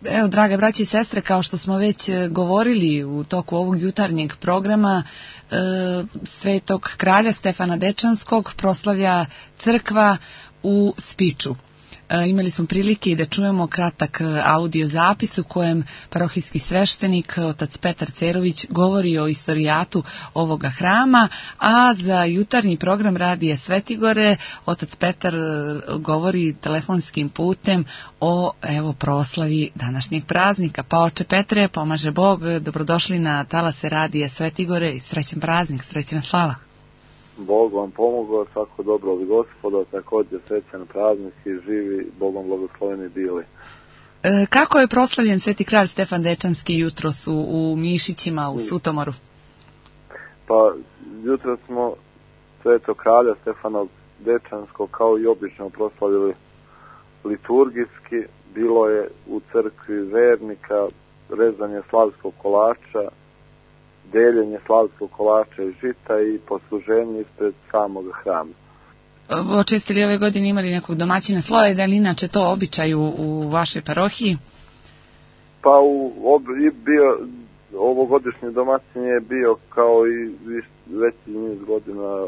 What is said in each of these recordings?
Evo, drage braće i sestre, kao što smo već govorili u toku ovog jutarnjeg programa, Svetog kralja Stefana Dečanskog proslavlja crkva u Spiču. Imali smo prilike i da čujemo kratak audio zapis u kojem parohijski sveštenik otac Petar Cerović govori o istorijatu ovoga hrama, a za jutarnji program Radija Svetigore otac Petar govori telefonskim putem o proslavi današnjeg praznika. Pa oče Petre, pomaže Bog, dobrodošli na talase Radija Svetigore i srećan praznik, srećna slava. Bog vam pomogao, svako dobro od Gospoda, također srećan praznik i živi, Bogom blagosloveni bili. Kako je proslavljen Sveti kralj Stefan Dečanski jutros u Mišićima, u Sutomoru? Pa, jutros smo Svetog kralja Stefana Dečanskog kao i obično proslavili liturgijski. Bilo je u crkvi vernika rezanje slavskog kolača, deljenje slavskog kolača i žita i posluženje ispred samog hrama. Jeste li ove godine imali nekog domaćina sloja, da li inače to običaj u vašoj parohiji? Pa ovogodišnji domaćin je bio kao i veći niz godina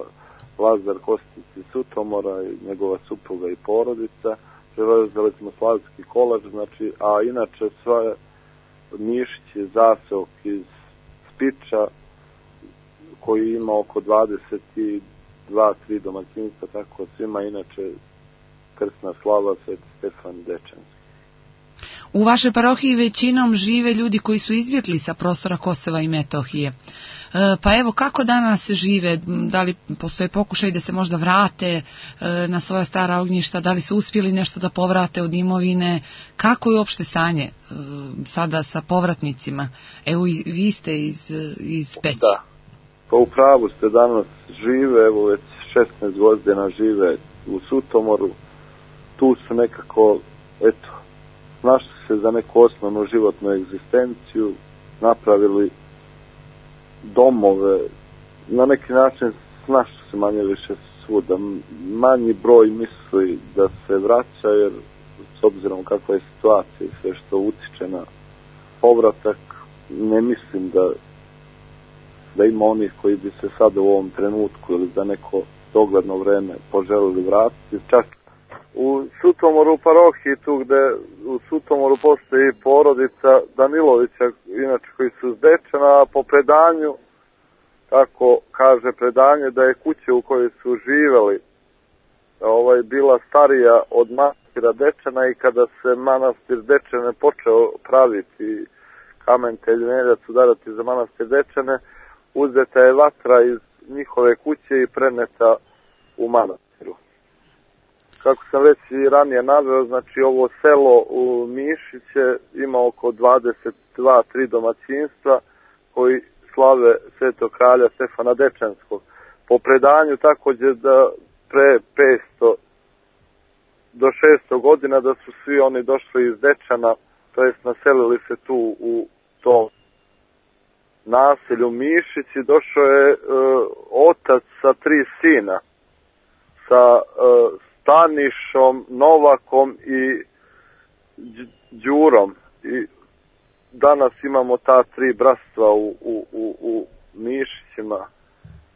Lazar Kostić iz Sutomora i njegova supruga i porodica. Prevezali smo slavski kolač, a inače sva Mišić je zaseok iz Spiča koji ima oko 22-3 domaćinstva, tako svima inače krsna slava Sveti Stefan Dečanski. U vašoj parohiji većinom žive ljudi koji su izbjegli sa prostora Kosova i Metohije. Pa evo, kako danas žive? Da li postoje pokušaj da se možda vrate na svoja stara ognjišta? Da li su uspjeli nešto da povrate od imovine? Kako je uopšte stanje sada sa povratnicima? Evo, vi ste iz Peći. Da, pa u pravu ste, danas žive, evo već 16 godina žive u Sutomoru. Tu su nekako, našli se za neku osnovnu životnu egzistenciju, napravili domove, na neki način snašli se manje više svuda. Manji broj misli da se vraća, jer s obzirom kakva je situacija i sve što utiče na povratak, ne mislim da ima onih koji bi se sada u ovom trenutku ili za neko dogledno vreme poželili vratiti. Čak u Sutomoru parohiji, tu gde u Sutomoru postoji porodica Danilovića, inače koji su s Dečana, a po predanju, tako kaže predanje, da je kuća u kojoj su živeli bila starija od manastira Dečana i kada se manastir Dečane počeo praviti, kamen temeljac udarati za manastir Dečane, uzeta je vatra iz njihove kuće i preneta u manastiru. Kako sam već i ranije naveo, ovo selo u Mišiće ima oko 22-3 domaćinstva koji slave Svetog kralja Stefana Dečanskog. Po predanju također da pre 500 do 600 godina da su svi oni došli iz Dečana, to jest naselili se tu u tom naselju Mišići. Došao je otac sa 3 sina, sa Stanišom, Novakom i Đurom. I danas imamo ta 3 bratstva u Mišićima,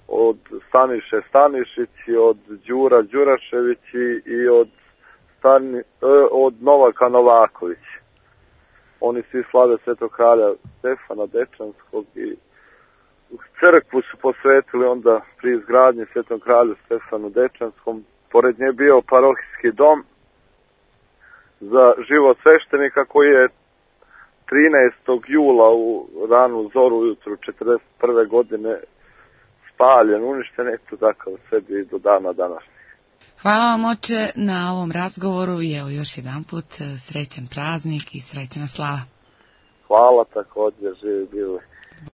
od Staniše Stanišići, od Đura Đuraševići i od Novaka Novakovići. Oni svi slave Svetog kralja Stefana Dečanskog i crkvu su posvetili onda pri izgradnji Svetom kralju Stefanu Dečanskom. Pored nje bio parohijski dom za život sveštenika koji je 13. jula u ranu zoru ujutru 1941. godine spaljen, uništen, takav sebi do dana današnjeg. Hvala vam, oče, na ovom razgovoru i evo još jedan put srećan praznik i srećna slava. Hvala, također, živi bili.